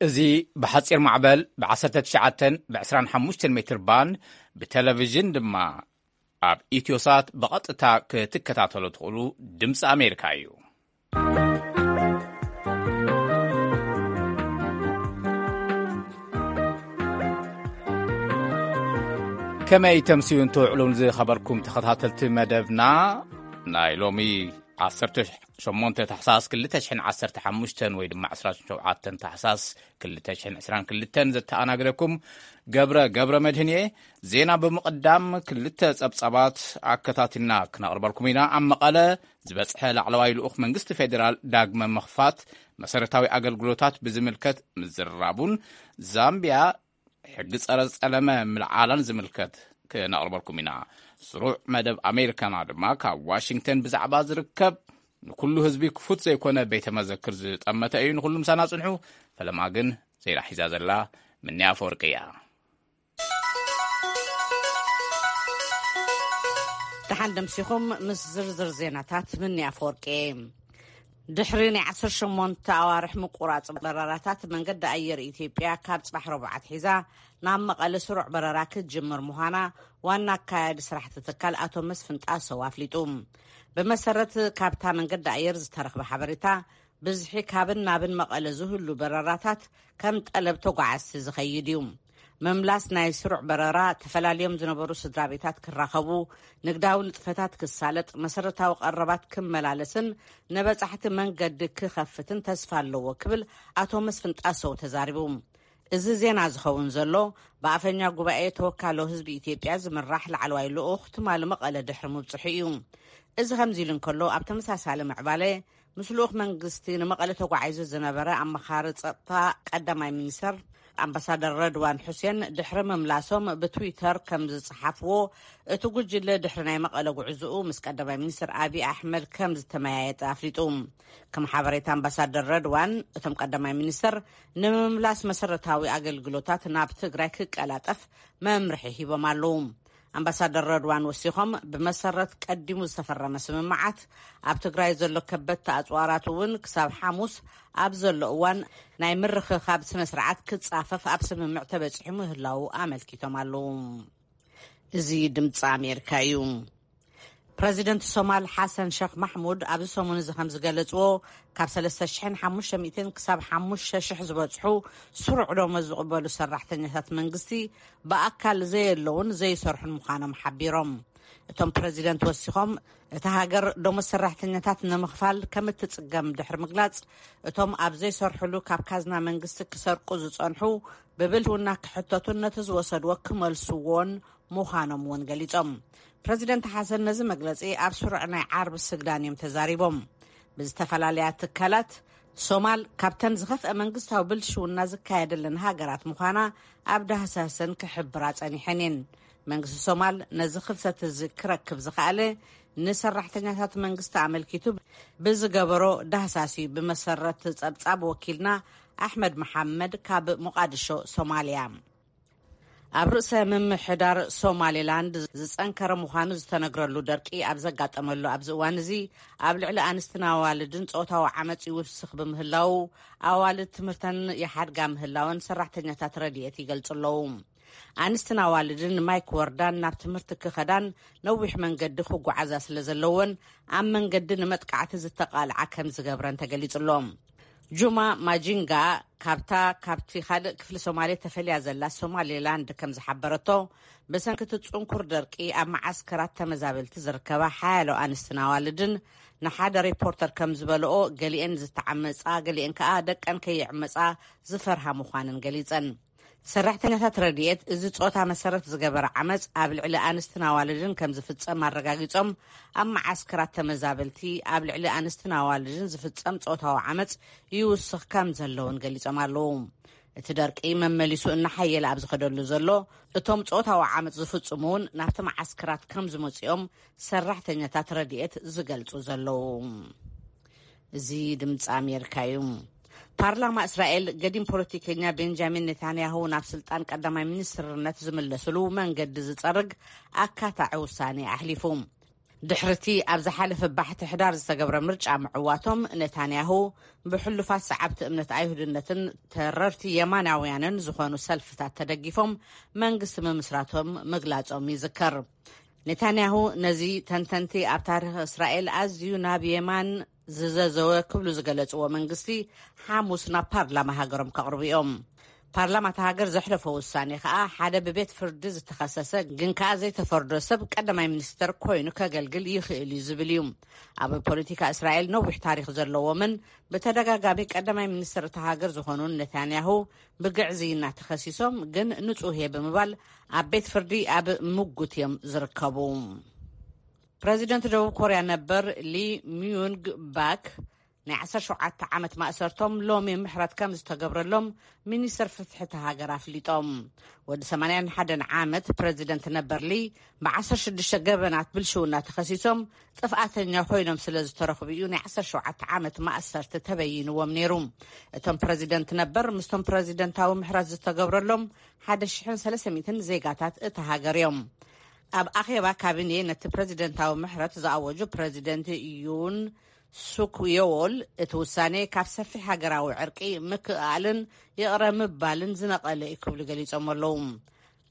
እዚ ብሓጺር ማዕበል ብ19 ብ25 ሜትር ባንድ፣ ብቴሌቪዥን ድማ ኣብ ኢትዮሳት ብቐጥታ ክትከታተሉ ትኽእሉ ድምፂ ኣሜሪካ እዩ። ከመይ ተምስዩን ትውዕሉን ዝኸበርኩም ተኸታተልቲ መደብና፣ ናይ ሎሚ 18 ታሕሳስ 2015 ወይ ድማ 27 ታሕሳስ 2022 ዘተኣናግደኩም ገብረ ገብረ መድህን እየ። ዜና ብምቕዳም ክልተ ጸብጻባት ኣከታቲልና ክነቕርበልኩም ኢና። ኣብ መቐለ ዝበጽሐ ላዕለዋይ ልኡኽ መንግስቲ ፌዴራል ዳግመ ምኽፋት መሰረታዊ ኣገልግሎታት ብዝምልከት ምዝራቡን ዛምቢያ ሕጊ ጸረ ጸለመ ምልዓላን ዝምልከት ክነቕርበልኩም ኢና። ስሩዕ መደብ ኣሜሪካና ድማ ካብ ዋሽንግተን ብዛዕባ ዝርከብ ንኩሉ ህዝቢ ክፉት ዘይኮነ ቤተ መዘክር ዝጠመተ እዩ። ንኩሉ ምሳና ጽንሑ። ፈለማ ግን ዜና ሒዛ ዘላ ምንያ ኣፈወርቂ እያ። ደሓን ደምሲኹም ምስ ዝርዝር ዜናታት ምንያ ኣፈወርቂ። ድሕሪ ናይ 18 ኣዋርሕ ምቁራጽ በረራታት፣ መንገዲ ኣየር ኢትዮጵያ ካብ ጽባሕ ረቡዕ ኣትሒዛ ናብ መቐለ ስሩዕ በረራ ክትጅምር ምዃና ዋና ኣካያዲ ስራሕቲ ትካል ኣቶ መስፍን ጣሰው ኣፍሊጡ። ብመሰረት ካብታ መንገዲ ኣየር ዝተረኽበ ሓበሬታ፣ ብዝሒ ካብን ናብን መቐለ ዝህሉ በረራታት ከም ጠለብ ተጓዓዝቲ ዝኸይድ እዩ። ምምላስ ናይ ስሩዕ በረራ፣ ተፈላልዮም ዝነበሩ ስድራ ቤታት ክራኸቡ፣ ንግዳዊ ንጥፈታት ክሳለጥ፣ መሰረታዊ ቀረባት ክመላለስን ንበጻሕቲ መንገዲ ክኸፍትን ተስፋ ኣለዎ ክብል ኣቶ መስፍን ጣሰው ተዛሪቡ። እዚ ዜና ዝኸውን ዘሎ ብኣፈኛ ጉባኤ ተወካሎ ህዝቢ ኢትዮጵያ ዝምራሕ ላዕለዋይ ልኡኽ ትማሊ መቐለ ድሕሪ ምብጽሑ እዩ። እዚ ከምዚ ኢሉ እንከሎ፣ ኣብ ተመሳሳሊ ምዕባለ ምስ ልኡኽ መንግስቲ ንመቐለ ተጓዒዙ ዝነበረ ኣመኻሪ ጸጥታ ቀዳማይ ሚኒስተር ኣምባሳደር ረድዋን ሑሴን ድሕሪ ምምላሶም ብትዊተር ከም ዝጸሓፍዎ፣ እቲ ጉጅለ ድሕሪ ናይ መቐለ ጉዕዝኡ ምስ ቀዳማይ ሚኒስተር ኣብይ ኣሕመድ ከም ዝተመያየጠ ኣፍሊጡ። ከም ሓበሬታ ኣምባሳደር ረድዋን፣ እቶም ቀዳማይ ሚኒስተር ንምምላስ መሰረታዊ ኣገልግሎታት ናብ ትግራይ ክቀላጠፍ መምርሒ ሂቦም ኣለዉ። ኣምባሳደር ረድዋን ወሲኾም፣ ብመሰረት ቀዲሙ ዝተፈረመ ስምምዓት፣ ኣብ ትግራይ ዘሎ ከበድቲ ኣጽዋራት እውን ክሳብ ሓሙስ ኣብ ዘሎ እዋን ናይ ምርኽኻብ ስነ ስርዓት ክጻፈፍ ኣብ ስምምዕ ተበጺሑ ምህላዉ ኣመልኪቶም ኣለዉ። እዚ ድምፂ ኣሜሪካ እዩ። ፕረዚደንት ሶማል ሓሰን ሸኽ ማሕሙድ ኣብዚ ሰሙን እዚ ከም ዝገለጽዎ፣ ካብ 3,500 ክሳብ 5,000 ዝበጽሑ ስሩዕ ደሞዝ ዝቕበሉ ሰራሕተኛታት መንግስቲ ብኣካል ዘየለውን ዘይሰርሑን ምዃኖም ሓቢሮም። እቶም ፕረዚደንት ወሲኾም፣ እታ ሃገር ደሞዝ ሰራሕተኛታት ንምኽፋል ከም እትጽገም ድሕሪ ምግላጽ፣ እቶም ኣብ ዘይሰርሕሉ ካብ ካዝና መንግስቲ ክሰርቁ ዝጸንሑ ብብልሽውና ክሕተቱን ነቲ ዝወሰድዎ ክመልስዎን ምዃኖም እውን ገሊጾም። ፕረዚደንት ሓሰን ነዚ መግለጺ ኣብ ስሩዕ ናይ ዓርቢ ስግዳን እዮም ተዛሪቦም። ብዝተፈላለያ ትካላት፣ ሶማል ካብተን ዝኸፍአ መንግስታዊ ብልሽውና ዝካየደለን ሃገራት ምዃና ኣብ ዳህሳሰን ክሕብራ ጸኒሐን እየን። መንግስቲ ሶማል ነዚ ክፍተት እዚ ክረክብ ዝኸኣለ፣ ንሰራሕተኛታት መንግስቲ ኣመልኪቱ ብዝገበሮ ዳህሳስ እዩ። ብመሰረት ጸብጻብ ወኪልና ኣሕመድ መሓመድ ካብ ሞቃድሾ፣ ሶማልያ። ኣብ ርእሰ ምምሕዳር ሶማሌላንድ ዝጸንከረ ምዃኑ ዝተነግረሉ ደርቂ ኣብ ዘጋጠመሉ ኣብዚ እዋን እዚ፣ ኣብ ልዕሊ ኣንስትን ኣዋልድን ጾታዊ ዓመጽ ይውስኽ ብምህላዉ፣ ኣዋልድ ትምህርተን ይሓድጋ ምህላወን ሰራሕተኛታት ረድኤት ይገልጹ ኣለዉ። ኣንስትን ኣዋልድን ንማይ ክወርዳን ናብ ትምህርቲ ክኸዳን ነዊሕ መንገዲ ክጓዓዛ ስለ ዘለወን፣ ኣብ መንገዲ ንመጥቃዕቲ ዝተቓልዓ ከም ዝገብረን ተገሊጹ ኣሎ። ጁማ ማጂንጋ ካብታ ካብቲ ካልእ ክፍሊ ሶማሌ ተፈልያ ዘላ ሶማሌላንድ ከም ዝሓበረቶ፣ ብሰንኪ እቲ ጽንኩር ደርቂ ኣብ መዓስከራት ተመዛበልቲ ዝርከባ ሓያሎ ኣንስትን ኣዋልድን ንሓደ ሪፖርተር ከም ዝበልኦ፣ ገሊኤን ዝተዓመጻ፣ ገሊኤን ከኣ ደቀን ከይዕመጻ ዝፈርሃ ምዃነን ገሊጸን። ሰራሕተኛታት ረድኤት፣ እዚ ጾታ መሰረት ዝገበረ ዓመጽ ኣብ ልዕሊ ኣንስትን ኣዋልድን ከም ዝፍጸም ኣረጋጊጾም፣ ኣብ መዓስከራት ተመዛበልቲ ኣብ ልዕሊ ኣንስትን ኣዋልድን ዝፍጸም ጾታዊ ዓመጽ ይውስኽ ከም ዘለውን ገሊጾም ኣለዉ። እቲ ደርቂ መመሊሱ እናሓየለ ኣብ ዝኸደሉ ዘሎ፣ እቶም ጾታዊ ዓመጽ ዝፍጽሙ እውን ናብቲ መዓስከራት ከም ዝመጽኦም ሰራሕተኛታት ረድኤት ዝገልጹ ዘለዉ። እዚ ድምፂ ኣሜሪካ እዩ። ፓርላማ እስራኤል፣ ገዲም ፖለቲከኛ ቤንጃሚን ኔታንያሁ ናብ ስልጣን ቀዳማይ ሚኒስትርነት ዝምለስሉ መንገዲ ዝጸርግ ኣካታዒ ውሳኔ ኣሕሊፉ። ድሕርቲ ኣብ ዝሓለፈ ባሕቲ ሕዳር ዝተገብረ ምርጫ ምዕዋቶም፣ ነታንያሁ ብሕሉፋት ሰዓብቲ እምነት ኣይሁድነትን ተረርቲ የማናውያንን ዝኾኑ ሰልፍታት ተደጊፎም መንግስቲ ምምስራቶም ምግላጾም ይዝከር። ኔታንያሁ ነዚ ተንተንቲ ኣብ ታሪኽ እስራኤል ኣዝዩ ናብ የማን ዝዘዘወ ክብሉ ዝገለጽዎ መንግስቲ፣ ሓሙስ ናብ ፓርላማ ሃገሮም ከቕርቡ እዮም። ፓርላማ እታ ሃገር ዘሕለፎ ውሳኔ ከኣ፣ ሓደ ብቤት ፍርዲ ዝተኸሰሰ ግን ከኣ ዘይተፈርዶ ሰብ ቀዳማይ ሚኒስተር ኮይኑ ከገልግል ይኽእል እዩ ዝብል እዩ። ኣብ ፖለቲካ እስራኤል ነዊሕ ታሪኽ ዘለዎምን ብተደጋጋሚ ቀዳማይ ሚኒስተር እታ ሃገር ዝኾኑን ኔታንያሁ፣ ብግዕዝይና ተኸሲሶም ግን ንጹህ እየ ብምባል ኣብ ቤት ፍርዲ ኣብ ምጉት እዮም ዝርከቡ። ፕረዚደንት ደቡብ ኮርያ ነበር ሊ ሚዩንግ ባክ ናይ ዓሰርተ ሸውዓተ ዓመት ማእሰርቶም ሎሚ ምሕረት ከም ዝተገብረሎም ሚኒስተር ፍትሒ እታ ሃገር ኣፍሊጦም። ወዲ ሰማንያን ሓደን ዓመት ፕረዚደንት ነበር ሊ፣ ብ ዓሰርተ ሽዱሽተ ገበናት ብልሽውና ተኸሲሶም ጥፍኣተኛ ኮይኖም ስለ ዝተረኽቡ እዩ ናይ ዓሰርተ ሸውዓተ ዓመት ማእሰርቲ ተበይንዎም ነይሩ። እቶም ፕረዚደንት ነበር ምስቶም ፕረዚደንታዊ ምሕረት ዝተገብረሎም ሓደ ሽሕን ሰለስተ ሚእትን ዜጋታት እታ ሃገር እዮም። ኣብ ኣኼባ ካቢኔ ነቲ ፕረዚደንታዊ ምሕረት ዝኣወጁ ፕረዚደንት ዩን ሱክ ዮዎል፣ እቲ ውሳኔ ካብ ሰፊሕ ሃገራዊ ዕርቂ፣ ምክእኣልን ይቕረ ምባልን ዝነቐለ እዩ ክብሉ ገሊጾም ኣለዉ።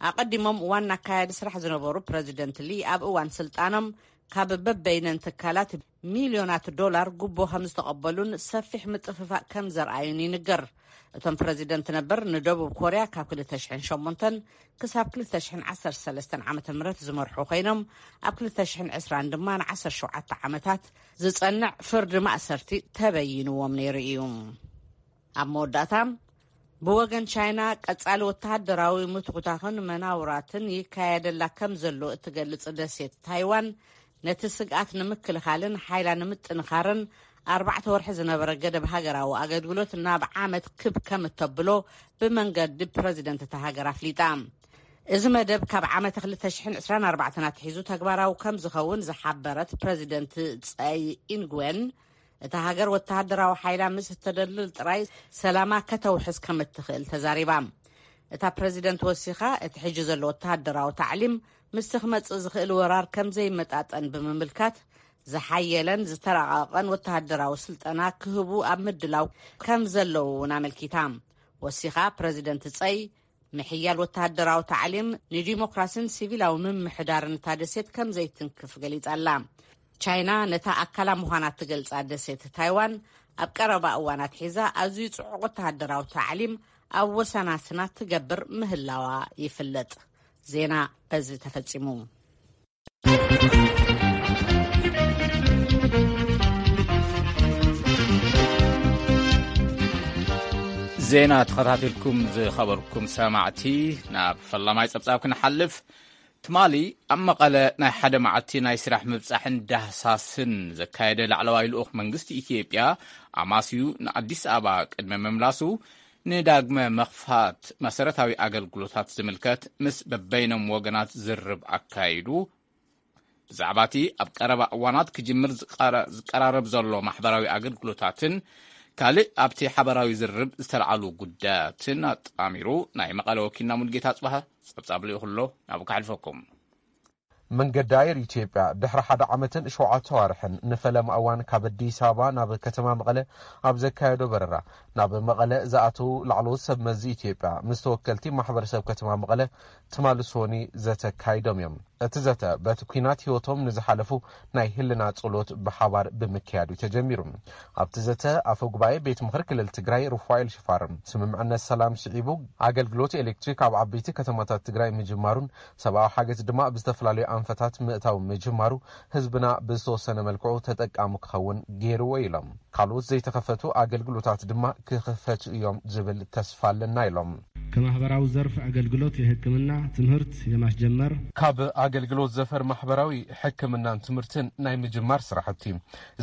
ኣቐዲሞም ዋና ኣካያዲ ስራሕ ዝነበሩ ፕረዚደንት ሊ፣ ኣብ እዋን ስልጣኖም ካብ በበይነን ትካላት ሚልዮናት ዶላር ጉቦ ከም ዝተቐበሉን ሰፊሕ ምጥፍፋእ ከም ዘርኣዩን ይንገር። እቶም ፕረዚደንት ነበር ንደቡብ ኮርያ ካብ ክልተ ሽሕን ሸሞንተን ክሳብ ክልተ ሽሕን ዓሰርተ ሰለስተን ዓመተ ምህረት ዝመርሑ ኮይኖም፣ ኣብ ክልተ ሽሕን ዕስራን ድማ ንዓሰርተ ሸውዓተ ዓመታት ዝጸንዕ ፍርዲ ማእሰርቲ ተበይንዎም ነይሩ እዩ። ኣብ መወዳእታ፣ ብወገን ቻይና ቀጻሊ ወተሃደራዊ ምትኹታኽን መናውራትን ይካየደላ ከም ዘሎ እትገልጽ ደሴት ታይዋን፣ ነቲ ስግኣት ንምክልኻልን ሓይላ ንምጥንኻርን ኣርባዕተ ወርሒ ዝነበረ ገደብ ሃገራዊ ኣገልግሎት ናብ ዓመት ክብ ከም እተብሎ ብመንገዲ ፕረዚደንት እታ ሃገር ኣፍሊጣ። እዚ መደብ ካብ ዓመተ ክልተ ሽሕን ዕስራን ኣርባዕተን ኣትሒዙ ተግባራዊ ከም ዝኸውን ዝሓበረት ፕረዚደንት ጸይ ኢንግዌን፣ እታ ሃገር ወተሃደራዊ ሓይላ ምስ እተደልድል ጥራይ ሰላማ ከተውሕስ ከም እትኽእል ተዛሪባ። እታ ፕረዚደንት ወሲኻ፣ እቲ ሕጂ ዘሎ ወተሃደራዊ ታዕሊም ምስቲ ክመጽእ ዝኽእል ወራር ከም ዘይመጣጠን ብምምልካት፣ ዝሓየለን ዝተራቐቐን ወተሃደራዊ ስልጠና ክህቡ ኣብ ምድላው ከም ዘለዉ እውን ኣመልኪታ። ወሲኻ ፕረዚደንት ጸይ፣ ምሕያል ወተሃደራዊ ታዕሊም ንዲሞክራሲን ሲቪላዊ ምምሕዳርን እታ ደሴት ከም ዘይትንክፍ ገሊጻ ኣላ። ቻይና ነታ ኣካላ ምዃና እትገልጻ ደሴት ታይዋን፣ ኣብ ቀረባ እዋናት ሒዛ ኣዝዩ ጽዑቕ ወተሃደራዊ ታዕሊም ኣብ ወሰናስና ትገብር ምህላዋ ይፍለጥ። ዜና በዚ ተፈጺሙ። ዜና ተኸታቲልኩም ዝኸበርኩም ሰማዕቲ፣ ናብ ፈላማይ ጸብጻብ ክንሓልፍ። ትማሊ ኣብ መቐለ ናይ ሓደ መዓልቲ ናይ ስራሕ ምብጻሕን ዳህሳስን ዘካየደ ላዕለዋይ ልኡኽ መንግስቲ ኢትዮጵያ፣ ኣማስዩ ንኣዲስ ኣበባ ቅድሚ ምምላሱ፣ ንዳግመ መኽፋት መሰረታዊ ኣገልግሎታት ዝምልከት ምስ በበይኖም ወገናት ዝርብ ኣካይዱ። ብዛዕባ እቲ ኣብ ቀረባ እዋናት ክጅምር ዝቀረ-፣ ዝቀራረብ ዘሎ ማሕበራዊ ኣገልግሎታትን ካልእ ኣብቲ ሓበራዊ ዝርብ ዝተልዓሉ ጉዳያትን ኣጣሚሩ ናይ መቐለ ወኪልና ሙልጌታ ጽባህ ጸብጻብ ልኢኹ ኣሎ፣ ናብኡ ከሕልፈኩም። መንገዲ ኣየር ኢትዮጵያ ድሕሪ ሓደ ዓመትን ሸውዓተ ኣዋርሕን ንፈለማ እዋን ካብ ኣዲስ ኣበባ ናብ ከተማ መቐለ ኣብ ዘካየዶ በረራ፣ ናብ መቐለ ዝኣተዉ ላዕለዎት ሰብ መዚ ኢትዮጵያ ምስ ተወከልቲ ማሕበረሰብ ከተማ መቐለ ትማሊ ሶኒ ዘተ ኣካይዶም እዮም። እቲ ዘተ በቲ ኲናት ህይወቶም ንዝሓለፉ ናይ ህልና ጸሎት ብሓባር ብምክያድ እዩ ተጀሚሩ። ኣብቲ ዘተ ኣፈ ጉባኤ ቤት ምኽሪ ክልል ትግራይ ሩፋኤል ሽፋር፣ ስምምዕነት ሰላም ስዒቡ ኣገልግሎት ኤሌክትሪክ ኣብ ዓበይቲ ከተማታት ትግራይ ምጅማሩን ሰብኣዊ ሓገዝ ድማ ብዝተፈላለዩ ኣንፈታት ምእታው ምጅማሩ ህዝብና ብዝተወሰነ መልክዑ ተጠቃሚ ክኸውን ገይርዎ ኢሎም። ካልኦት ዘይተኸፈቱ ኣገልግሎታት ድማ ክኽፈቱ እዮም ዝብል ተስፋ ኣለና ኢሎም። ከማህበራዊ ዘርፍ ኣገልግሎት የሕክምና ትምህርት የማስጀመር። ካብ ኣገልግሎት ዘፈር ማሕበራዊ ሕክምናን ትምህርትን ናይ ምጅማር ስራሕቲ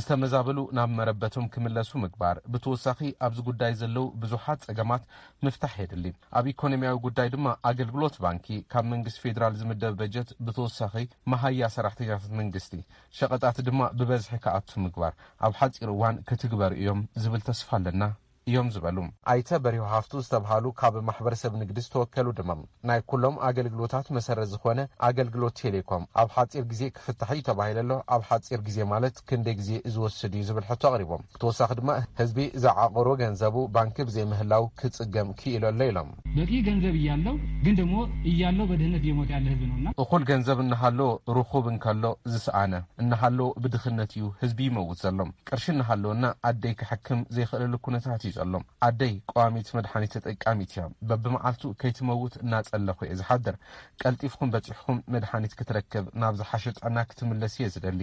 ዝተመዛበሉ ናብ መረበቶም ክምለሱ ምግባር። ብተወሳኺ ኣብዚ ጉዳይ ዘለዉ ብዙሓት ጸገማት ምፍታሕ የድሊ። ኣብ ኢኮኖሚያዊ ጉዳይ ድማ ኣገልግሎት ባንኪ ካብ መንግስቲ ፌዴራል ዝምደብ በጀት ብተወሳኺ መሃያ ሰራሕተኛታት መንግስቲ፣ ሸቐጣት ድማ ብበዝሒ ክኣቱ ምግባር ኣብ ሓፂር እዋን ክትግበሩ እዮም ዝብል ተስፋ ኣለና እዮም ዝበሉ። ኣይተ በሪሁ ሃፍቱ ዝተብሃሉ ካብ ማሕበረሰብ ንግዲ ዝተወከሉ ድማ፣ ናይ ኩሎም ኣገልግሎታት መሰረት ዝኾነ ኣገልግሎት ቴሌኮም ኣብ ሓፂር ግዜ ክፍታሕ እዩ ተባሂሉ ኣሎ። ኣብ ሓፂር ግዜ ማለት ክንደይ ግዜ ዝወስድ እዩ ዝብል ሕቶ ኣቕሪቦም። ብተወሳኺ ድማ ህዝቢ ዝዓቐሮ ገንዘቡ ባንኪ ብዘይምህላው ክፅገም ክኢሉ ኣሎ ኢሎም። በቂ ገንዘብ እያለው ግን ደግሞ እያለው በድህነት እየሞተ ያለ ህዝብ ነውና። እኹል ገንዘብ እናሃሎ ርኹብ እንከሎ ዝሰኣነ እናሃሎ ብድኽነት እዩ ህዝቢ ይመውት ዘሎ። ቅርሺ እናሃለወና ኣደይ ክሕክም ዘይኽእለሉ ኩነታት እዩ ዘሎ። ኣደይ ቀዋሚት መድሓኒት ተጠቃሚት እያ። በብመዓልቱ ከይትመውት እናጸለኹ እየ ዝሓድር። ቀልጢፍኩም በጺሕኩም መድሓኒት ክትረክብ ናብ ዝሓሸ ጥዕና ክትምለስ እየ ዝደሊ።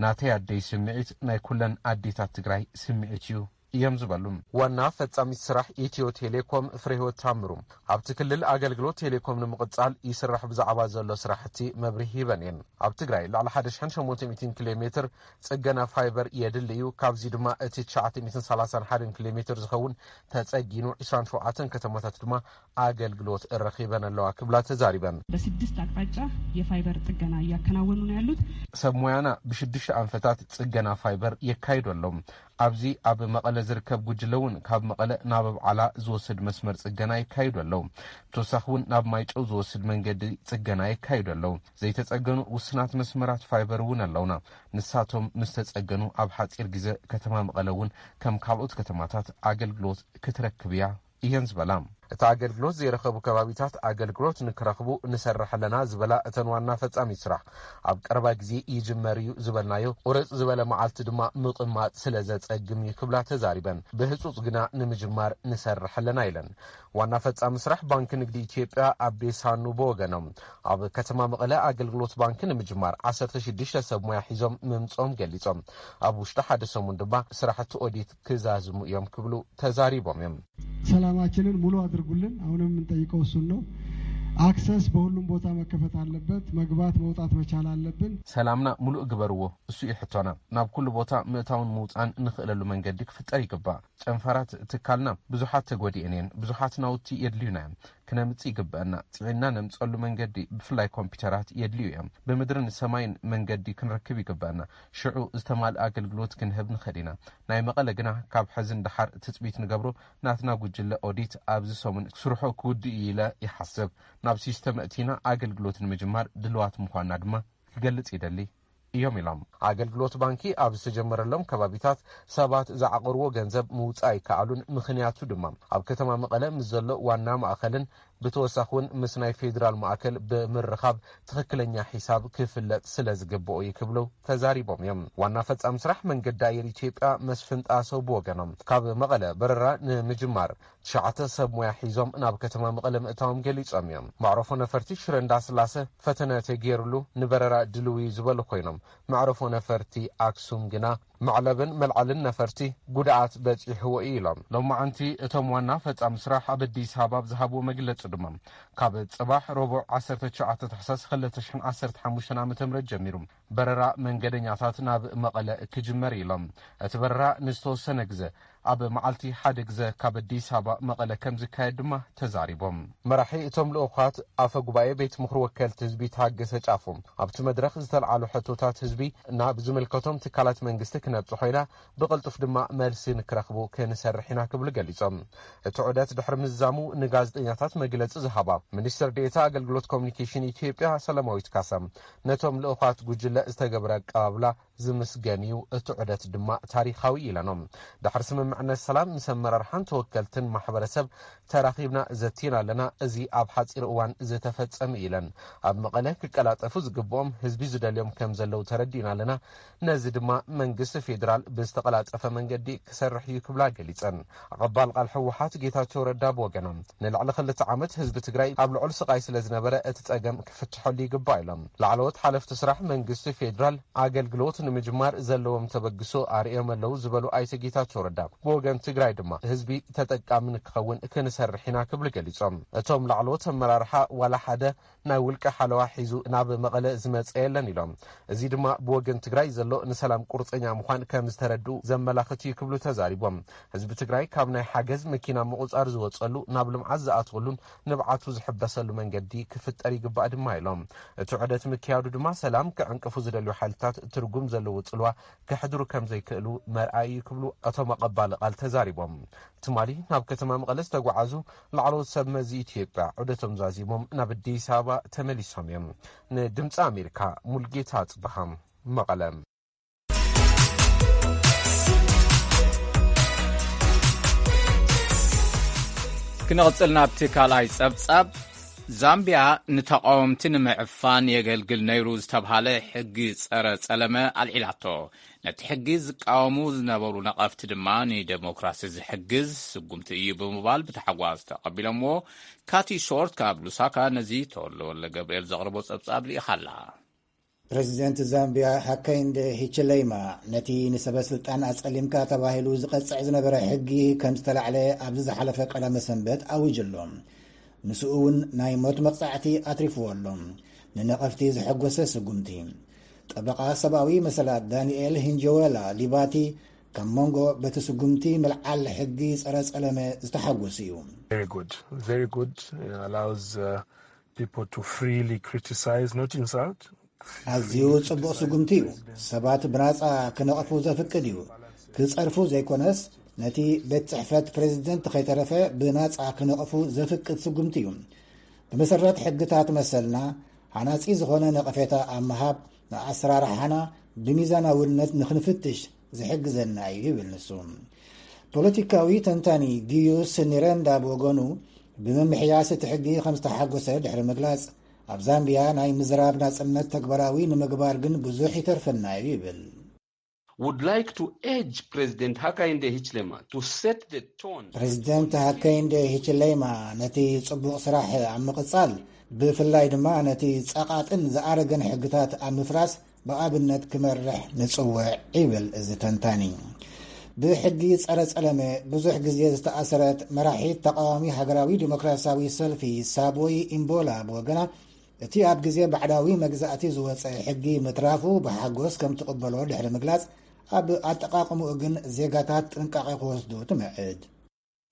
ናተይ ኣደይ ስምዒት ናይ ኩለን ኣዴታት ትግራይ ስምዒት እዩ እዮም ዝበሉ። ዋና ፈጻሚት ስራሕ ኢትዮ ቴሌኮም ፍሬህይወት ታምሩ ኣብቲ ክልል ኣገልግሎት ቴሌኮም ንምቕጻል ይስራሕ ብዛዕባ ዘሎ ስራሕቲ መብርሂ ሂበን እየን። ኣብ ትግራይ ልዕሊ ሓደ ሽሕን ሸሞንተ ሚእትን ኪሎ ሜትር ጽገና ፋይበር የድሊ እዩ። ካብዚ ድማ እቲ ትሽዓተ ሚእትን ሰላሳን ሓደን ኪሎ ሜትር ዝኸውን ተጸጊኑ፣ ዕስራን ሸውዓተን ከተማታት ድማ ኣገልግሎት ረኺበን ኣለዋ ክብላ ተዛሪበን። በስድስት አቅጣጫ የፋይበር ጥገና እያከናወኑ ነው ያሉት። ሰብ ሞያና ብሽዱሽተ ኣንፈታት ጽገና ፋይበር የካይዱ ኣለዉ። ኣብዚ ኣብ መቐለ ዝርከብ ጉጅለ እውን ካብ መቐለ ናብ ኣብዓላ ዝወስድ መስመር ጽገና የካይዱ ኣለዉ። ብተወሳኺ እውን ናብ ማይጨው ዝወስድ መንገዲ ጽገና የካይዱ ኣለዉ። ዘይተጸገኑ ውስናት መስመራት ፋይበር እውን ኣለውና። ንሳቶም ምስ ተጸገኑ ኣብ ሓጺር ግዜ ከተማ መቐለ እውን ከም ካልኦት ከተማታት ኣገልግሎት ክትረክብ እያ እየን ዝበላ። እቲ ኣገልግሎት ዘይረኸቡ ከባቢታት ኣገልግሎት ንክረኽቡ ንሰርሕ ኣለና ዝበላ እተን ዋና ፈጻሚት ስራሕ፣ ኣብ ቀረባ ግዜ ይጅመር እዩ ዝበልናዮ ቁርጽ ዝበለ መዓልቲ ድማ ምቕማጥ ስለ ዘጸግም እዩ ክብላ ተዛሪበን። ብህጹጽ ግና ንምጅማር ንሰርሕ ኣለና ኢለን። ዋና ፈጻሚ ስራሕ ባንኪ ንግዲ ኢትዮጵያ ኣቤ ሳኑ ብወገኖም፣ ኣብ ከተማ መቐለ ኣገልግሎት ባንኪ ንምጅማር ዓሰርተ ሽዱሽተ ሰብ ሞያ ሒዞም ምምጾም ገሊጾም። ኣብ ውሽጢ ሓደ ሰሙን ድማ ስራሕቲ ኦዲት ክዛዝሙ እዮም ክብሉ ተዛሪቦም እዮም። ሰላማችንን ሙሉ አድርጉልን። አሁንም የምንጠይቀው እሱን ነው። አክሰስ በሁሉም ቦታ መከፈት አለበት። መግባት መውጣት መቻል አለብን። ሰላምና ሙሉእ ግበርዎ፣ እሱ እዩ ሕቶና። ናብ ኩሉ ቦታ ምእታውን ምውፃን እንኽእለሉ መንገዲ ክፍጠር ይግባእ። ጨንፈራት ትካልና ብዙሓት ተጎዲኤን እየን። ብዙሓት ናውቲ የድልዩና እዮም። ክነምጽእ ይግበአና። ጽዒንና ነምጸሉ መንገዲ ብፍላይ ኮምፒውተራት የድልዩ እዮም። ብምድርን ሰማይን መንገዲ ክንረክብ ይግበአና። ሽዑ ዝተማልእ ኣገልግሎት ክንህብ ንኽእል ኢና። ናይ መቐለ ግና ካብ ሕዚ ንደሓር ትጽቢት ንገብሮ ናትና ጉጅለ ኦዲት ኣብዚ ሰሙን ስርሑ ክውድእ እዩ ኢለ ይሓስብ። ናብ ሲስተም ኣእቲና ኣገልግሎት ንምጅማር ድልዋት ምዃንና ድማ ክገልጽ ይደሊ እዮም ኢሎም። ኣገልግሎት ባንኪ ኣብ ዝተጀመረሎም ከባቢታት ሰባት ዝዓቐርዎ ገንዘብ ምውፃእ ኣይከኣሉን። ምኽንያቱ ድማ ኣብ ከተማ መቐለ ምስ ዘሎ ዋና ማእኸልን ብተወሳኺ እውን ምስ ናይ ፌዴራል ማእከል ብምርኻብ ትኽክለኛ ሒሳብ ክፍለጥ ስለ ዝግብኦ እዩ ክብሉ ተዛሪቦም እዮም። ዋና ፈጻሚ ስራሕ መንገዲ ኣየር ኢትዮጵያ መስፍን ጣሰው ብወገኖም ካብ መቐለ በረራ ንምጅማር ትሽዓተ ሰብ ሞያ ሒዞም ናብ ከተማ መቐለ ምእታዎም ገሊጾም እዮም። መዕረፎ ነፈርቲ ሽረ እንዳስላሰ ፈተነ ተገይሩሉ ንበረራ ድልው እዩ ዝበሉ ኮይኖም፣ መዕረፎ ነፈርቲ ኣክሱም ግና መዕለብን መልዓልን ነፈርቲ ጉድኣት በጺሕዎ እዩ ኢሎም። ሎማዓንቲ እቶም ዋና ፈጻሚ ስራሕ ኣብ ኣዲስ ኣበባ ኣብ ዝሃብዎ መግለጺ ድማ፣ ካብ ጽባሕ ረቡዕ ዓሰርተ ትሽዓተ ታሕሳስ ክልተ ሽሕን ዓሰርተ ሓሙሽተን ዓመተ ምህረት ጀሚሩ በረራ መንገደኛታት ናብ መቐለ ክጅመር እዩ ኢሎም። እቲ በረራ ንዝተወሰነ ግዘ ኣብ መዓልቲ ሓደ ግዘ ካብ ኣዲስ ኣበባ መቐለ ከም ዝካየድ ድማ ተዛሪቦም። መራሒ እቶም ልኡኻት ኣፈ ጉባኤ ቤት ምኽሪ ወከልቲ ህዝቢ ታገሰ ጫፎ ኣብቲ መድረኽ ዝተልዓሉ ሕቶታት ህዝቢ ናብ ዝምልከቶም ትካላት መንግስቲ ክነብጽሖ ኢና፣ ብቕልጡፍ ድማ መልሲ ንክረኽቡ ክንሰርሕ ኢና ክብሉ ገሊጾም። እቲ ዑደት ድሕሪ ምዝዛሙ ንጋዜጠኛታት መግለጺ ዝሃባ ሚኒስትር ዴኤታ ኣገልግሎት ኮሚኒኬሽን ኢትዮጵያ ሰላማዊት ካሳ፣ ነቶም ልኡኻት ጉጅለ ዝተገብረ ኣቀባብላ ዝምስገን እዩ፣ እቲ ዑደት ድማ ታሪኻዊ ኢለኖም። ድሕሪ ስምምዕነት ሰላም ምስ ኣመራርሓን ተወከልትን ማሕበረሰብ ተራኺብና ዘቲና ኣለና። እዚ ኣብ ሓፂር እዋን ዝተፈፀመ ኢለን። ኣብ መቐለ ክቀላጠፉ ዝግብኦም ህዝቢ ዝደልዮም ከም ዘለዉ ተረዲእና ኣለና። ነዚ ድማ መንግስቲ ፌዴራል ብዝተቐላጠፈ መንገዲ ክሰርሕ እዩ ክብላ ገሊፀን። ኣቐባል ቃል ህወሓት ጌታቸው ረዳ ብወገኖም፣ ንልዕሊ ክልተ ዓመት ህዝቢ ትግራይ ኣብ ልዑል ስቓይ ስለ ዝነበረ እቲ ፀገም ክፍትሐሉ ይግባእ ኢሎም። ላዕለዎት ሓለፍቲ ስራሕ መንግስቲ ፌዴራል ኣገልግሎት ንምጅማር ዘለዎም ተበግሶ ኣርእዮም ኣለዉ ዝበሉ ኣይተ ጌታቸው ረዳ፣ ብወገን ትግራይ ድማ ህዝቢ ተጠቃሚ ንክኸውን ክንሰርሕ ኢና ክብሉ ገሊፆም። እቶም ላዕለዎት ኣመራርሓ ዋላ ሓደ ናይ ውልቀ ሓለዋ ሒዙ ናብ መቐለ ዝመፀ የለን ኢሎም። እዚ ድማ ብወገን ትግራይ ዘሎ ንሰላም ቁርፀኛ ምዃን ከም ዝተረድኡ ዘመላኽት እዩ ክብሉ ተዛሪቦም። ህዝቢ ትግራይ ካብ ናይ ሓገዝ መኪና ምቑፃር ዝወፀሉ ናብ ልምዓት ዝኣትወሉን ንብዓቱ ዝሕበሰሉ መንገዲ ክፍጠር ይግባእ ድማ ኢሎም። እቲ ዑደት ምክያዱ ድማ ሰላም ክዕንቅፉ ዝደልዩ ሓይልታት ትርጉም ዘለዎ ፅልዋ ከሕድሩ ከም ዘይክእሉ መርኣይ እዩ ክብሉ እቶም ኣቐባል ቃል ተዛሪቦም። ትማሊ ናብ ከተማ መቐለ ዝተጓዓዙ ላዕለዎት ሰብ መዚ ኢትዮጵያ ዑደቶም ዛዚሞም ናብ ኣዲስ ኣበባ ተመሊሶም እዮም። ንድምፂ ኣሜሪካ ሙልጌታ ኣፅበሃ፣ መቐለ። ክንቕጽል ናብቲ ካልኣይ ጸብጻብ። ዛምቢያ ንተቓወምቲ ንምዕፋን የገልግል ነይሩ ዝተብሃለ ሕጊ ጸረ ጸለመ ኣልዒላቶ። ነቲ ሕጊ ዝቃወሙ ዝነበሩ ነቐፍቲ ድማ ንደሞክራሲ ዝሕግዝ ስጉምቲ እዩ ብምባል ብታሕጓስ ተቐቢሎምዎ። ካቲ ሾርት ካብ ሉሳካ ነዚ ተወልደወልደ ገብርኤል ዘቕርቦ ጸብጻብ ልኢኻላ። ፕረዚደንት ዛምቢያ ሃካይንደ ሂችለይማ ነቲ ንሰበ ስልጣን ኣጸሊምካ ተባሂሉ ዝቐጽዕ ዝነበረ ሕጊ ከም ዝተላዕለ ኣብዚ ዝሓለፈ ቀዳመ ሰንበት ኣዊጁ ኣሎ። ምስኡ እውን ናይ ሞት መቕጻዕቲ ኣትሪፍዎ ኣሎ። ንነቐፍቲ ዘሐጎሰ ስጉምቲ። ጠበቓ ሰብኣዊ መሰላት ዳንኤል ሂንጀወላ ሊባቲ ካብ መንጎ በቲ ስጉምቲ ምልዓል ሕጊ ጸረ ጸለመ ዝተሓጎሱ እዩ። Very good. Very good. It allows uh, people to freely criticize, not insult. ኣዝዩ ጽቡቕ ስጉምቲ እዩ። ሰባት ብናጻ ክነቕፉ ዘፍቅድ እዩ። ክጸርፉ ዘይኮነስ፣ ነቲ ቤት ጽሕፈት ፕሬዚደንት ከይተረፈ ብናጻ ክነቕፉ ዘፍቅድ ስጉምቲ እዩ። ብመሰረት ሕግታት መሰልና፣ ሃናጺ ዝኾነ ነቐፌታ ኣብ ምሃብ፣ ንኣሰራርሓና ብሚዛናውነት ንኽንፍትሽ ዝሕግዘና እዩ ይብል ንሱ። ፖለቲካዊ ተንታኒ ጊዩስ ኒረንዳ ብወገኑ፣ ብምምሕያስ እቲ ሕጊ ከም ዝተሓጎሰ ድሕሪ ምግላጽ፣ ኣብ ዛምቢያ ናይ ምዝራብ ናጽነት ተግባራዊ ንምግባር ግን ብዙሕ ይተርፈና እዩ ይብል። Would like to urge President Hakainde Hichilema to set the tone. ፕሬዚደንት ሃከይንደ ሂችለይማ ነቲ ጽቡቕ ስራሕ ኣብ ምቕጻል፣ ብፍላይ ድማ ነቲ ጸቓጥን ዝኣረገን ሕግታት ኣብ ምፍራስ ብኣብነት ክመርሕ ንጽውዕ ይብል እዚ ተንታኒ። ብሕጊ ጸረ ጸለመ ብዙሕ ግዜ ዝተኣሰረት መራሒት ተቓዋሚ ሃገራዊ ዲሞክራሲያዊ ሰልፊ ሳቦይ ኢምቦላ ብወገና፣ እቲ ኣብ ግዜ ባዕዳዊ መግዛእቲ ዝወጸ ሕጊ ምትራፉ ብሓጎስ ከም ትቕበሎ ድሕሪ ምግላጽ፣ ኣብ ኣጠቓቕምኡ ግን ዜጋታት ጥንቃቐ ክወስዱ ትምዕድ።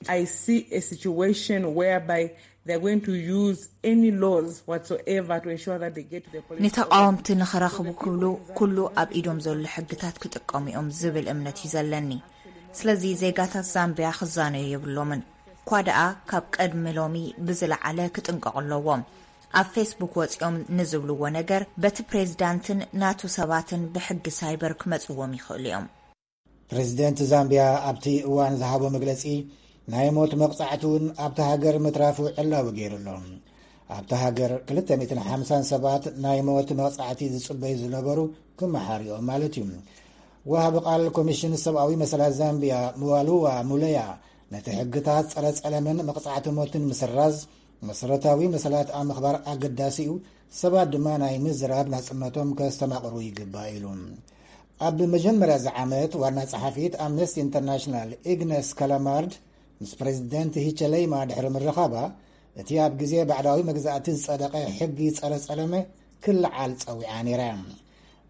I see a situation whereby they're going to use any laws whatsoever to ensure that they get to the political ንተቓወምቲ ንኽረኽቡ ክብሉ ኩሉ ኣብ ኢዶም ዘሎ ሕግታት ክጥቀሙ እዮም ዝብል እምነት እዩ ዘለኒ። ስለዚ ዜጋታት ዛምቢያ ክዛነዩ የብሎምን። እኳ ደኣ ካብ ቀድሚ ሎሚ ብዝለዓለ ክጥንቀቑ ኣለዎም። ኣብ ፌስቡክ ወጺኦም ንዝብልዎ ነገር በቲ ፕሬዚዳንትን ናቱ ሰባትን ብሕጊ ሳይበር ክመጽዎም ይኽእሉ እዮም። ፕሬዚደንት ዛምቢያ ኣብቲ እዋን ዝሃቦ መግለጺ፣ ናይ ሞት መቕጻዕቲ እውን ኣብቲ ሃገር ምትራፉ ዕላዊ ገይሩ ኣሎ። ኣብቲ ሃገር ክልተ ሚእትን ሓምሳን ሰባት ናይ ሞት መቕጻዕቲ ዝጽበዩ ዝነበሩ ክመሓርኦም ማለት እዩ። ወሃቢ ቃል ኮሚሽን ሰብኣዊ መሰላት ዛምቢያ ምዋሉዋ ሙለያ፣ ነቲ ሕግታት ጸረ ጸለምን መቕጻዕቲ ሞትን ምስራዝ፣ መሰረታዊ መሰላት ኣብ ምኽባር ኣገዳሲ እዩ፣ ሰባት ድማ ናይ ምዝራብ ናጽነቶም ከስተማቕሩ ይግባእ ኢሉ። ኣብ መጀመርያ እዚ ዓመት ዋና ጸሓፊት ኣምነስቲ ኢንተርናሽናል ኢግነስ ካላማርድ ምስ ፕሬዚደንት ሂቸለይማ ድሕሪ ምርኻባ፣ እቲ ኣብ ግዜ ባዕዳዊ መግዛእቲ ዝጸደቐ ሕጊ ጸረ ጸለመ ክለዓል ጸዊዓ ነይራ።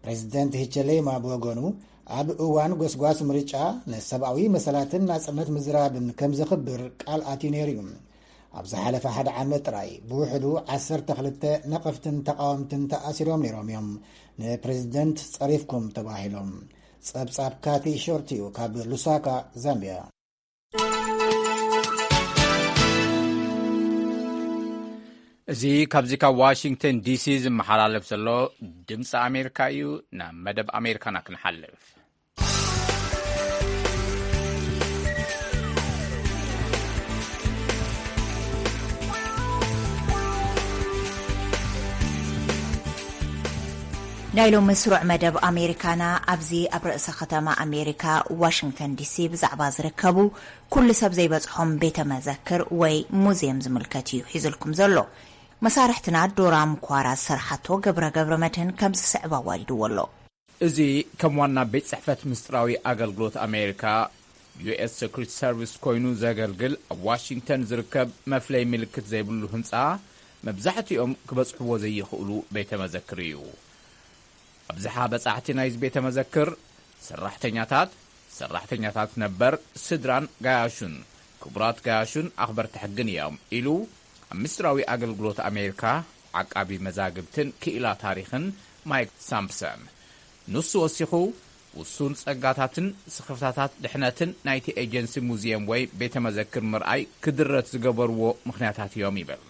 ፕሬዚደንት ሂቸለይማ ብወገኑ፣ ኣብ እዋን ጎስጓስ ምርጫ ንሰብኣዊ መሰላትን ናጽነት ምዝራብን ከም ዘኽብር ቃል ኣትዩ ነይሩ እዩ። ኣብ ዝሓለፈ ሓደ ዓመት ጥራይ ብውሕዱ ዓሰርተ ክልተ ነቐፍትን ተቓወምትን ተኣሲሮም ነይሮም እዮም፣ ንፕሬዚደንት ጸሪፍኩም ተባሂሎም። ጸብጻብ ካቲ ሾርት እዩ ካብ ሉሳካ ዛምቢያ። እዚ ካብዚ ካብ ዋሽንግተን ዲሲ ዝመሓላለፍ ዘሎ ድምፂ ኣሜሪካ እዩ። ናብ መደብ ኣሜሪካና ክንሓልፍ። ናይ ሎሚ ስሩዕ መደብ ኣሜሪካና ኣብዚ ኣብ ርእሰ ከተማ ኣሜሪካ ዋሽንግተን ዲሲ ብዛዕባ ዝርከቡ ኩሉ ሰብ ዘይበጽሖም ቤተ መዘክር ወይ ሙዝየም ዝምልከት እዩ ሒዝልኩም ዘሎ። መሳርሕትና ዶራም ኳራ ዝሰርሓቶ ገብረ ገብረ መድህን ከም ዝስዕብ ኣዋዲድዎ ኣሎ። እዚ ከም ዋና ቤት ጽሕፈት ምስጢራዊ ኣገልግሎት ኣሜሪካ ዩ ኤስ ሰክሪት ሰርቪስ ኮይኑ ዘገልግል ኣብ ዋሽንግተን ዝርከብ መፍለይ ምልክት ዘይብሉ ህንጻ መብዛሕትኦም ክበጽሕዎ ዘይኽእሉ ቤተ መዘክር እዩ። ኣብዝሓ በጻሕቲ ናይዚ ቤተ መዘክር ሰራሕተኛታት፣ ሰራሕተኛታት ነበር፣ ስድራን ጋያሹን፣ ክቡራት ጋያሹን ኣኽበርቲ ሕግን እዮም ኢሉ ኣብ ምስጢራዊ ኣገልግሎት ኣሜሪካ ዓቃቢ መዛግብትን ክኢላ ታሪኽን ማይክ ሳምፕሰን። ንሱ ወሲኹ ውሱን ጸጋታትን ስኽፍታታት ድሕነትን ናይቲ ኤጀንሲ ሙዝየም ወይ ቤተ መዘክር ምርኣይ ክድረት ዝገበርዎ ምኽንያታት እዮም ይብል።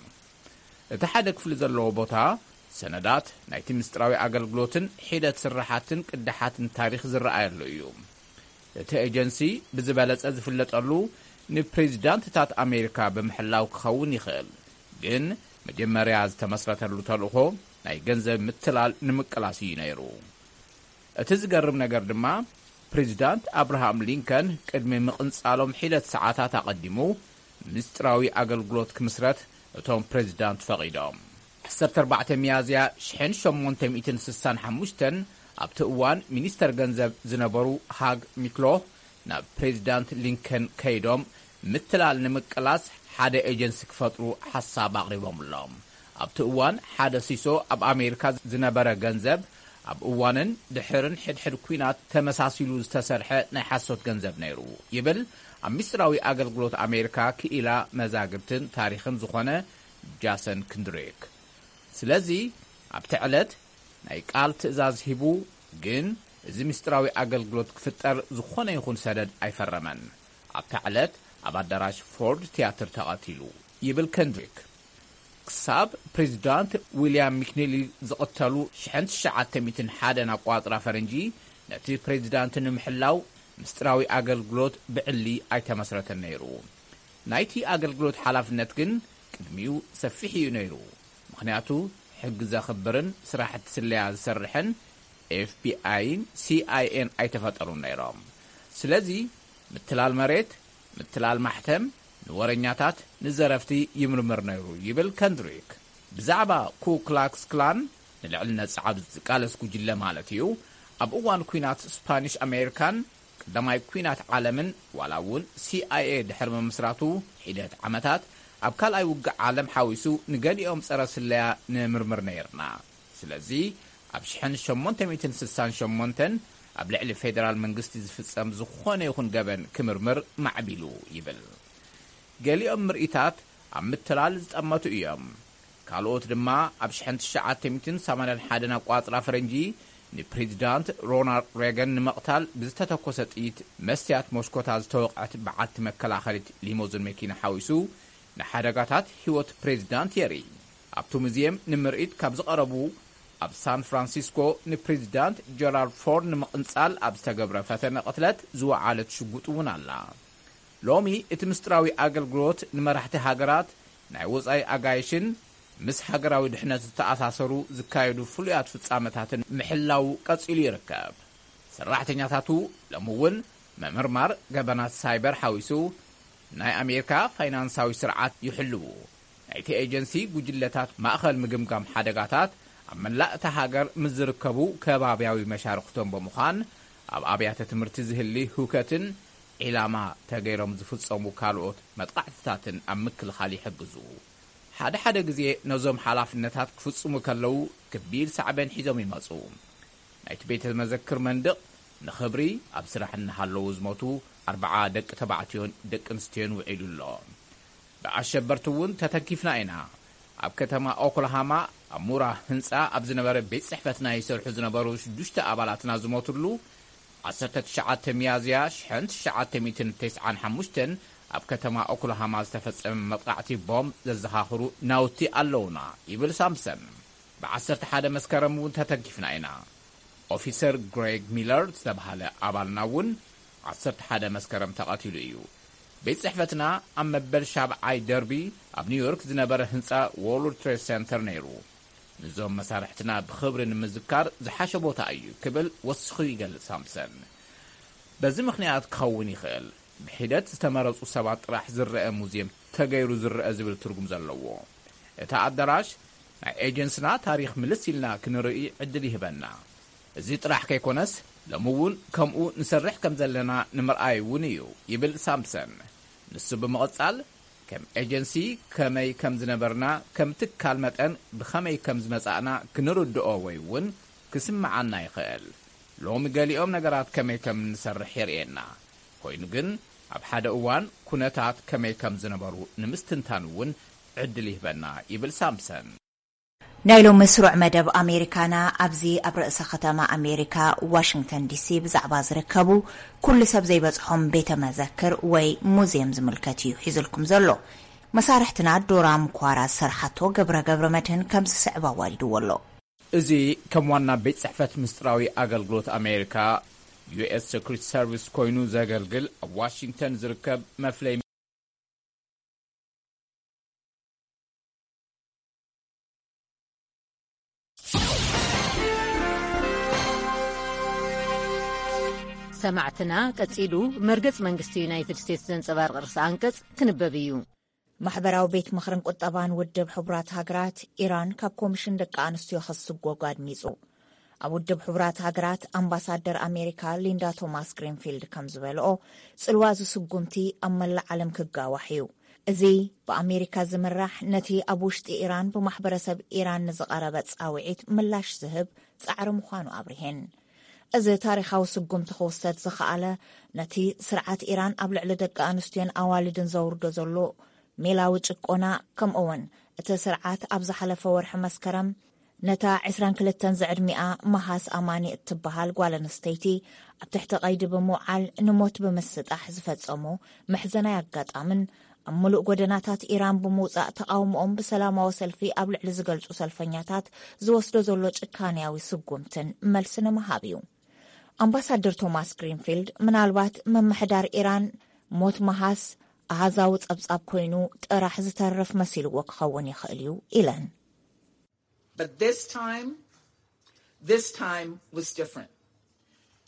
እቲ ሓደ ክፍሊ ዘለዎ ቦታ ሰነዳት ናይቲ ምስጢራዊ ኣገልግሎትን ሒደት ስራሓትን ቅዳሓትን ታሪኽ ዝረኣየሉ እዩ። እቲ ኤጀንሲ ብዝበለጸ ዝፍለጠሉ ንፕሬዚዳንትታት ኣሜሪካ ብምሕላው ክኸውን ይኽእል፣ ግን መጀመርያ ዝተመስረተሉ ተልእኾ ናይ ገንዘብ ምትላል ንምቅላስ እዩ ነይሩ። እቲ ዝገርም ነገር ድማ፣ ፕሬዚዳንት ኣብርሃም ሊንከን ቅድሚ ምቕንጻሎም ሒደት ሰዓታት ኣቐዲሙ ምስጢራዊ ኣገልግሎት ክምስረት እቶም ፕሬዚዳንት ፈቒዶም። ዓሰርተ ኣርባዕተ ሚያዝያ ሽሕን ሸሞንተ ሚእትን ስሳን ሓሙሽተን ኣብቲ እዋን ሚኒስተር ገንዘብ ዝነበሩ ሃግ ሚክሎ ናብ ፕሬዚዳንት ሊንከን ከይዶም ምትላል ንምቅላስ ሓደ ኤጀንሲ ክፈጥሩ ሓሳብ ኣቕሪቦምሎም። ኣብቲ እዋን ሓደ ሲሶ ኣብ ኣሜሪካ ዝነበረ ገንዘብ ኣብ እዋንን ድሕርን ሕድሕድ ኲናት ተመሳሲሉ ዝተሰርሐ ናይ ሓሶት ገንዘብ ነይሩ ይብል ኣብ ሚስጥራዊ ኣገልግሎት ኣሜሪካ ክኢላ መዛግብትን ታሪኽን ዝኾነ ጃሰን ክንድሪክ። ስለዚ ኣብቲ ዕለት ናይ ቃል ትእዛዝ ሂቡ፣ ግን እዚ ምስጢራዊ ኣገልግሎት ክፍጠር ዝኾነ ይኹን ሰደድ ኣይፈረመን። ኣብታ ዕለት ኣብ ኣዳራሽ ፎርድ ትያትር ተቐቲሉ ይብል ከንድሪክ። ክሳብ ፕሬዚዳንት ዊልያም ሚክኒሊ ዝቕተሉ ሽሕን ትሽዓተ ሚእትን ሓደን ኣቋጽራ ፈረንጂ፣ ነቲ ፕሬዚዳንት ንምሕላው ምስጢራዊ ኣገልግሎት ብዕሊ ኣይተመስረተን ነይሩ። ናይቲ ኣገልግሎት ሓላፍነት ግን ቅድሚኡ ሰፊሕ እዩ ነይሩ። ምኽንያቱ ሕጊ ዘኽብርን ስራሕቲ ስለያ ዝሰርሕን ኤፍቢኣይን ሲኣይኤን ኣይተፈጠሩን ነይሮም። ስለዚ ምትላል መሬት፣ ምትላል ማሕተም፣ ንወረኛታት፣ ንዘረፍቲ ይምርምር ነይሩ ይብል ከንድሪክ። ብዛዕባ ኩ ክላክስ ክላን፣ ንልዕልነት ጸዓብ ዝቃለስ ጉጅለ ማለት እዩ፣ ኣብ እዋን ኲናት ስፓኒሽ ኣሜሪካን ቀዳማይ ኲናት ዓለምን ዋላ እውን ሲኣይኤ ድሕሪ ምምስራቱ ሒደት ዓመታት ኣብ ካልኣይ ውግእ ዓለም ሓዊሱ ንገሊኦም ጸረ ስለያ ንምርምር ነይርና። ስለዚ ኣብ ሽሕን ሸሞንተ ሚእትን ስሳን ሸሞንተን ኣብ ልዕሊ ፌደራል መንግስቲ ዝፍጸም ዝኾነ ይኹን ገበን ክምርምር ማዕቢሉ ይብል። ገሊኦም ምርኢታት ኣብ ምትላል ዝጠመቱ እዮም። ካልኦት ድማ ኣብ ሽሕን ትሽዓተ ሚእትን ሰማንያን ሓደን ኣቋጽራ ፈረንጂ ንፕሬዚዳንት ሮናልድ ሬገን ንምቕታል ብዝተተኮሰ ጥይት መስትያት መስኮታ ዝተወቕዐት በዓልቲ መከላኸሊት ሊሞዝን መኪና ሓዊሱ ንሓደጋታት ህይወት ፕሬዚዳንት የርኢ። ኣብቲ ሙዝየም ንምርኢት ካብ ዝቐረቡ፣ ኣብ ሳን ፍራንሲስኮ ንፕሬዚዳንት ጀራልድ ፎርድ ንምቕንጻል ኣብ ዝተገብረ ፈተነ ቅትለት ዝወዓለት ሽጉጥ እውን ኣላ። ሎሚ እቲ ምስጢራዊ ኣገልግሎት ንመራሕቲ ሃገራት፣ ናይ ወጻኢ ኣጋይሽን ምስ ሃገራዊ ድሕነት ዝተኣሳሰሩ ዝካየዱ ፍሉያት ፍጻመታትን ምሕላው ቀጺሉ ይርከብ። ሰራሕተኛታቱ ሎሚ እውን ምምርማር ገበናት ሳይበር ሓዊሱ ናይ ኣሜሪካ ፋይናንሳዊ ስርዓት ይሕልዉ። ናይቲ ኤጀንሲ ጉጅለታት ማእኸል ምግምጋም ሓደጋታት ኣብ መላእ እታ ሃገር ምስ ዝርከቡ ከባብያዊ መሻርኽቶም ብምዃን ኣብ ኣብያተ ትምህርቲ ዝህሊ ህውከትን ዒላማ ተገይሮም ዝፍጸሙ ካልኦት መጥቓዕትታትን ኣብ ምክልኻል ይሕግዙ። ሓደ ሓደ ግዜ ነዞም ሓላፍነታት ክፍጽሙ ከለዉ ከቢድ ሳዕቤን ሒዞም ይመጹ። ናይቲ ቤተ መዘክር መንድቕ ንኽብሪ ኣብ ስራሕ እናሃለዉ ዝሞቱ ኣርብዓ ደቂ ተባዕትዮን ደቂ ኣንስትዮን ውዒሉ ኣሎ። ብኣሸበርቲ እውን ተተንኪፍና ኢና። ኣብ ከተማ ኦክላሃማ ኣብ ሙራ ህንጻ ኣብ ዝነበረ ቤት ጽሕፈትና ይሰርሑ ዝነበሩ ሽዱሽተ ኣባላትና ዝሞትሉ ዓሰርተ ትሽዓተ ሚያዝያ ሽሕን ትሽዓተ ሚእትን ተስዓን ሓሙሽተን ኣብ ከተማ ኦክላሃማ ዝተፈጸመ መጥቃዕቲ ቦምብ ዘዘኻኽሩ ናውቲ ኣለውና ይብል ሳምሰን። ብ ዓሰርተ ሓደ መስከረም እውን ተተንኪፍና ኢና። ኦፊሰር ግሬግ ሚለር ዝተባህለ ኣባልና እውን ዓሰርተ ሓደ መስከረም ተቐቲሉ እዩ። ቤት ጽሕፈትና ኣብ መበል ሻብዓይ ደርቢ ኣብ ኒውዮርክ ዝነበረ ህንጻ ዎርልድ ትሬድ ሰንተር ነይሩ። ንዞም መሳርሕትና ብኽብሪ ንምዝካር ዝሓሸ ቦታ እዩ ክብል ወሲኹ ይገልጽ ሳምሰን። በዚ ምኽንያት ክኸውን ይኽእል ብሒደት ዝተመረጹ ሰባት ጥራሕ ዝረአ ሙዝየም ተገይሩ ዝረአ ዝብል ትርጉም ዘለዎ። እቲ ኣዳራሽ ናይ ኤጀንስና ታሪኽ ምልስ ኢልና ክንርኢ ዕድል ይህበና። እዚ ጥራሕ ከይኮነስ ሎሚ እውን ከምኡ ንሰርሕ ከም ዘለና ንምርኣይ እውን እዩ ይብል ሳምሰን። ንሱ ብምቕጻል ከም ኤጀንሲ ከመይ ከም ዝነበርና ከም ትካል መጠን ብኸመይ ከም ዝመጻእና ክንርድኦ ወይ እውን ክስምዓና ይኽእል። ሎሚ ገሊኦም ነገራት ከመይ ከም እንሰርሕ የርእየና። ኮይኑ ግን ኣብ ሓደ እዋን ኩነታት ከመይ ከም ዝነበሩ ንምስትንታን እውን ዕድል ይህበና ይብል ሳምሰን። ናይ ሎሚ ስሩዕ መደብ ኣሜሪካና ኣብዚ ኣብ ርእሰ ከተማ ኣሜሪካ ዋሽንግተን ዲሲ ብዛዕባ ዝርከቡ ኩሉ ሰብ ዘይበጽሖም ቤተ መዘክር ወይ ሙዝየም ዝምልከት እዩ ሒዙልኩም ዘሎ። መሳርሕትና ዶራም ኳራ ዝሰርሓቶ ገብረ ገብረ መድህን ከም ዝስዕብ ኣዋዲድዎ ኣሎ። እዚ ከም ዋና ቤት ጽሕፈት ምስጢራዊ ኣገልግሎት ኣሜሪካ፣ ዩ ኤስ ሰክሪት ሰርቪስ፣ ኮይኑ ዘገልግል ኣብ ዋሽንግተን ዝርከብ መፍለይ ሰማዕትና፣ ቀጺሉ መርገጽ መንግስቲ ዩናይትድ ስቴትስ ዘንጸባርቕ ርእሰ ኣንቀጽ ክንበብ እዩ። ማሕበራዊ ቤት ምኽርን ቁጠባን ውድብ ሕቡራት ሃገራት፣ ኢራን ካብ ኮሚሽን ደቂ ኣንስትዮ ክትስጎግ ኣድሚጹ። ኣብ ውድብ ሕቡራት ሃገራት ኣምባሳደር ኣሜሪካ ሊንዳ ቶማስ ግሪንፊልድ ከም ዝበልኦ፣ ጽልዋ እዚ ስጉምቲ ኣብ መላእ ዓለም ክጋዋሕ እዩ። እዚ ብኣሜሪካ ዝምራሕ፣ ነቲ ኣብ ውሽጢ ኢራን ብማሕበረሰብ ኢራን ንዝቐረበ ጻውዒት ምላሽ ዝህብ ጻዕሪ ምዃኑ ኣብሪሄን። እዚ ታሪኻዊ ስጉምቲ ክውሰድ ዝኸኣለ፣ ነቲ ስርዓት ኢራን ኣብ ልዕሊ ደቂ ኣንስትዮን ኣዋልድን ዘውርዶ ዘሎ ሜላዊ ጭቆና፣ ከምኡ'ውን እቲ ስርዓት ኣብ ዝሓለፈ ወርሒ መስከረም ነታ ዕስራን ክልተን ዝዕድሚኣ መሃስ ኣማኒ እትበሃል ጓል ኣንስተይቲ ኣብ ትሕቲ ቀይዲ ብምውዓል ንሞት ብምስጣሕ ዝፈጸሞ መሕዘናይ ኣጋጣምን ኣብ ምሉእ ጎደናታት ኢራን ብምውጻእ ተቓውሞኦም ብሰላማዊ ሰልፊ ኣብ ልዕሊ ዝገልጹ ሰልፈኛታት ዝወስዶ ዘሎ ጭካንያዊ ስጉምትን መልሲ ንምሃብ እዩ። ኣምባሳደር ቶማስ ግሪንፊልድ፣ ምናልባት ምምሕዳር ኢራን ሞት መሃስ ኣሃዛዊ ጸብጻብ ኮይኑ ጥራሕ ዝተርፍ መሲልዎ ክኸውን ይኽእል እዩ ኢለን። But this time, this time was different.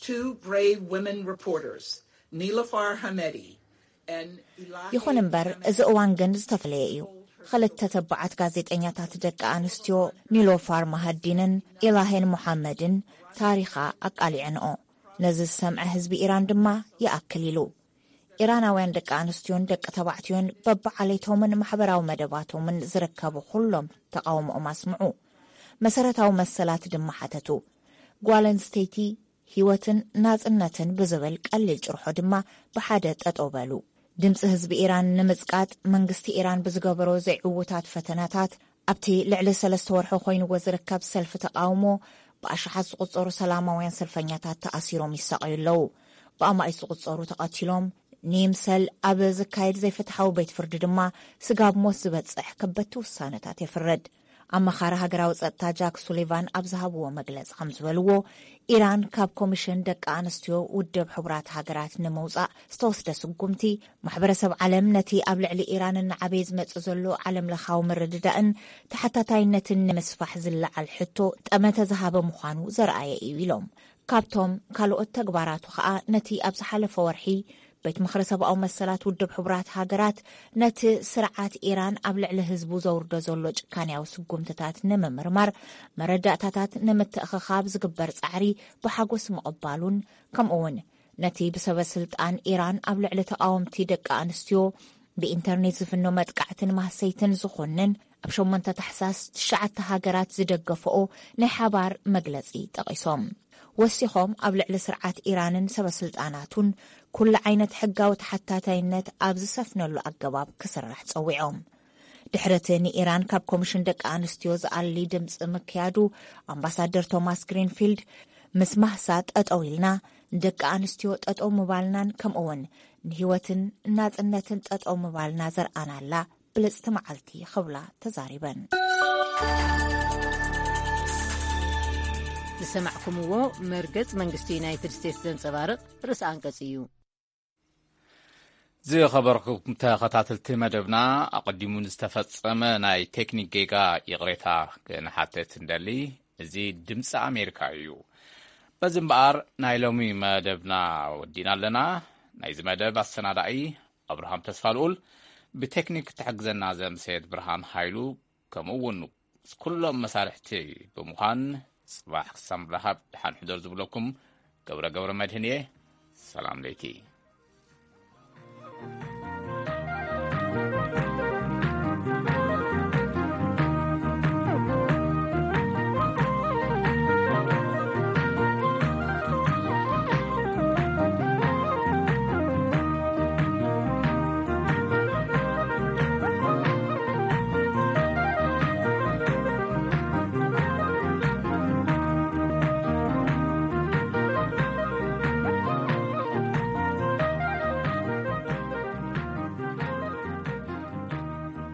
Two brave women reporters, Nilofar Hamedi and Ilahi ይኹን እምበር፣ እዚ እዋን ግን ዝተፈለየ እዩ። ክልተ ተባዓት ጋዜጠኛታት ደቂ ኣንስትዮ፣ ኒሎፋር ማሃዲንን ኢላሄን ሙሓመድን፣ ታሪኻ ኣቃሊዐንኦ። ነዚ ዝሰምዐ ህዝቢ ኢራን ድማ ይኣክል ኢሉ። ኢራናውያን ደቂ ኣንስትዮን ደቂ ተባዕትዮን በብዓሌቶምን ማሕበራዊ መደባቶምን ዝርከቡ ኩሎም ተቓውሞኦም ኣስምዑ። መሰረታዊ መሰላት ድማ ሓተቱ። ጓል ኣንስተይቲ ህይወትን ናጽነትን ብዝብል ቀሊል ጭርሖ ድማ ብሓደ ጠጠው በሉ። ድምጺ ህዝቢ ኢራን ንምጽቃጥ መንግስቲ ኢራን ብዝገበሮ ዘይዕዉታት ፈተነታት ኣብቲ ልዕሊ ሰለስተ ወርሒ ኮይንዎ ዝርከብ ሰልፊ ተቓውሞ ብኣሽሓት ዝቑጸሩ ሰላማውያን ሰልፈኛታት ተኣሲሮም ይሳቐዩ ኣለዉ። ብኣማኢት ዝቑጸሩ ተቐቲሎም። ንይምሰል ኣብ ዝካየድ ዘይፍትሓዊ ቤት ፍርዲ ድማ ስጋብ ሞት ዝበጽሕ ከበድቲ ውሳነታት የፍርድ። ኣማኻሪ ሃገራዊ ጸጥታ ጃክ ሱሊቫን ኣብ ዝሃብዎ መግለጺ ከም ዝበልዎ፣ ኢራን ካብ ኮሚሽን ደቂ ኣንስትዮ ውድብ ሕቡራት ሃገራት ንምውጻእ ዝተወስደ ስጉምቲ፣ ማሕበረሰብ ዓለም ነቲ ኣብ ልዕሊ ኢራን እናዓበየ ዝመጽእ ዘሎ ዓለም ለኻዊ ምርድዳእን ተሓታታይነትን ንምስፋሕ ዝለዓል ሕቶ ጠመተ ዝሃበ ምዃኑ ዘርኣየ እዩ ኢሎም። ካብቶም ካልኦት ተግባራቱ ከኣ ነቲ ኣብ ዝሓለፈ ወርሒ ቤት ምኽሪ ሰብኣዊ መሰላት ውድብ ሕቡራት ሃገራት ነቲ ስርዓት ኢራን ኣብ ልዕሊ ህዝቡ ዘውርዶ ዘሎ ጭካንያዊ ስጉምትታት ንምምርማር መረዳእታታት ንምትእኽኻብ ዝግበር ጻዕሪ ብሓጎስ ምቕባሉን፣ ከምኡ'ውን ነቲ ብሰበ ስልጣን ኢራን ኣብ ልዕሊ ተቓወምቲ ደቂ ኣንስትዮ ብኢንተርኔት ዝፍኖ መጥቃዕትን ማህሰይትን ዝኾንን ኣብ ሸሞንተ ታሕሳስ ትሽዓተ ሃገራት ዝደገፈኦ ናይ ሓባር መግለጺ ጠቒሶም። ወሲኾም ኣብ ልዕሊ ስርዓት ኢራንን ሰበ ስልጣናቱን ኩሉ ዓይነት ሕጋዊ ተሓታታይነት ኣብ ዝሰፍነሉ ኣገባብ ክስራሕ ጸዊዖም። ድሕሪ እቲ ንኢራን ካብ ኮሚሽን ደቂ ኣንስትዮ ዝኣሊ ድምጺ ምክያዱ፣ ኣምባሳደር ቶማስ ግሪንፊልድ፣ ምስ ማህሳ ጠጠው ኢልና፣ ንደቂ ኣንስትዮ ጠጠው ምባልናን ከምኡ'ውን ንህይወትን ናጽነትን ጠጠው ምባልና ዘርኣናላ ብልጽቲ መዓልቲ ክብላ ተዛሪበን። ዝሰማዕኩምዎ መርገጽ መንግስቲ ዩናይትድ ስቴትስ ዘንጸባርቕ ርእሲ ኣንቀጽ እዩ። ዝኸበርኩም ተኸታተልቲ መደብና፣ ኣቐዲሙ ንዝተፈጸመ ናይ ቴክኒክ ጌጋ ይቕሬታ ክንሓተት እንደሊ። እዚ ድምፂ ኣሜሪካ እዩ። በዚ እምበኣር ናይ ሎሚ መደብና ወዲና ኣለና። ናይዚ መደብ ኣሰናዳኢ ኣብርሃም ተስፋልኡል፣ ብቴክኒክ ትሕግዘና ዘምሰየት ብርሃን ሃይሉ፣ ከምኡ እውን ምስ ኩሎም መሳርሕቲ ብምዃን፣ ጽባሕ ክሳብ ንራኸብ ደሓን ሕደሩ ዝብለኩም ገብረ ገብረ መድህን እየ። ሰላም ለይቲ።